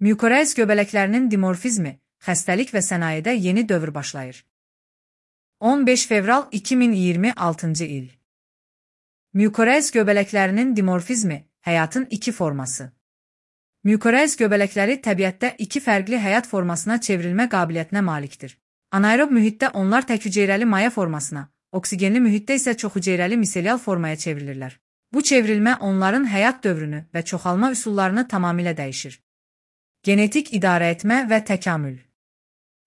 Mükoreis göbələklərinin dimorfizmi, xəstəlik və sənayedə yeni dövr başlayır. 15 fevral 2026 il. Mükoreis göbələklərinin dimorfizmi, həyatın iki forması. Mükoreis göbələkləri təbiətdə iki fərqli həyat formasına çevrilmə qabiliyyətinə malikdir. Anaerob mühitdə onlar təkhüceyrəli maya formasına, oksigenli mühitdə isə çoxhüceyrəli miselial formaya çevrilirlər. Bu çevrilmə onların həyat dövrünü və çoxalma üsullarını tamamilə dəyişir. Genetik idarəetmə və təkamül.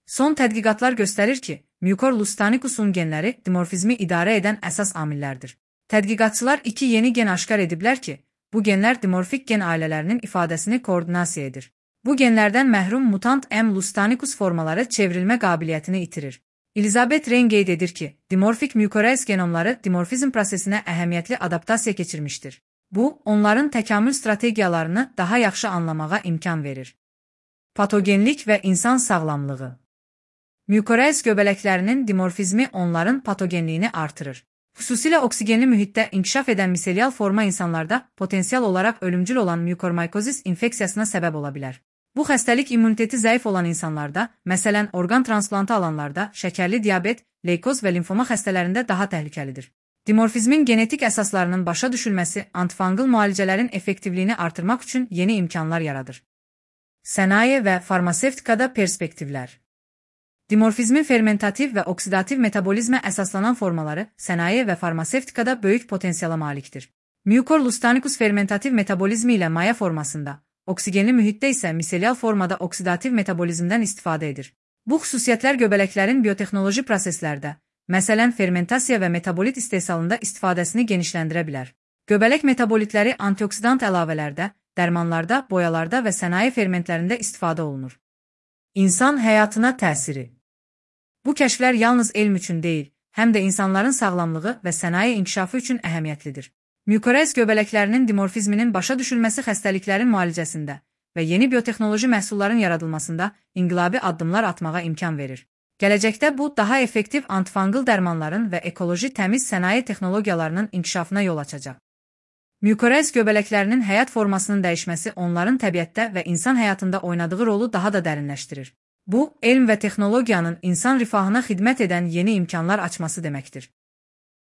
Son tədqiqatlar göstərir ki, Mucor lustanicus'un genləri dimorfizmi idarə edən əsas amillərdir. Tədqiqatçılar iki yeni gen aşkar ediblər ki, bu genlər dimorfik gen ailələrinin ifadəsini koordinasiya edir. Bu genlərdən məhrum mutant M. lustanicus formaları çevrilmə qabiliyyətini itirir. Elizabeth Rein qeyd edir ki, dimorfik mükoreis genomları dimorfizm prosesinə əhəmiyyətli adaptasiya keçirmişdir. Bu, onların təkamül strategiyalarını daha yaxşı anlamağa imkan verir. Patogenlik və insan sağlamlığı. Mükoreis göbələklərinin dimorfizmi onların patogenliyini artırır. Xüsusilə oksigenli mühitdə inkişaf edən miselial forma insanlarda potensial olaraq ölümcül olan mükormaykozis infeksiyasına səbəb ola bilər. Bu xəstəlik immuniteti zəif olan insanlarda, məsələn, orqan transplantı alanlarda, şəkərli diabet, leykoz və limfoma xəstələrində daha təhlükəlidir. Dimorfizmin genetik əsaslarının başa düşülməsi antifungal müalicələrin effektivliyini artırmaq üçün yeni imkanlar yaradır. Sənaye və farmasevtikada perspektivlər. Dimorfizmin fermentativ və oksidativ metabolizmə əsaslanan formaları sənaye və farmasevtikada böyük potensiala malikdir. Mucor lustanicus fermentativ metabolizmi ilə maya formasında, oksigenli mühitdə isə miselial formada oksidativ metabolizmdən istifadə edir. Bu xüsusiyyətlər göbələklərin biotexnoloji proseslərdə, məsələn fermentasiya və metabolit istehsalında istifadəsini genişləndirə bilər. Göbələk metabolitləri antioksidant əlavələrdə, dərmanlarda, boyalarda və sənaye fermentlərində istifadə olunur. İnsan həyatına təsiri. Bu kəşflər yalnız elm üçün deyil, həm də insanların sağlamlığı və sənaye inkişafı üçün əhəmiyyətlidir. Mükoreis göbələklərinin dimorfizminin başa düşülməsi xəstəliklərin müalicəsində və yeni biotexnoloji məhsulların yaradılmasında inqilabi addımlar atmağa imkan verir. Gələcəkdə bu, daha effektiv antifungal dərmanların və ekoloji təmiz sənaye texnologiyalarının inkişafına yol açacaq. Mükoreis göbələklərinin həyat formasının dəyişməsi onların təbiətdə və insan həyatında oynadığı rolu daha da dərinləşdirir. Bu, elm və texnologiyanın insan rifahına xidmət edən yeni imkanlar açması deməkdir.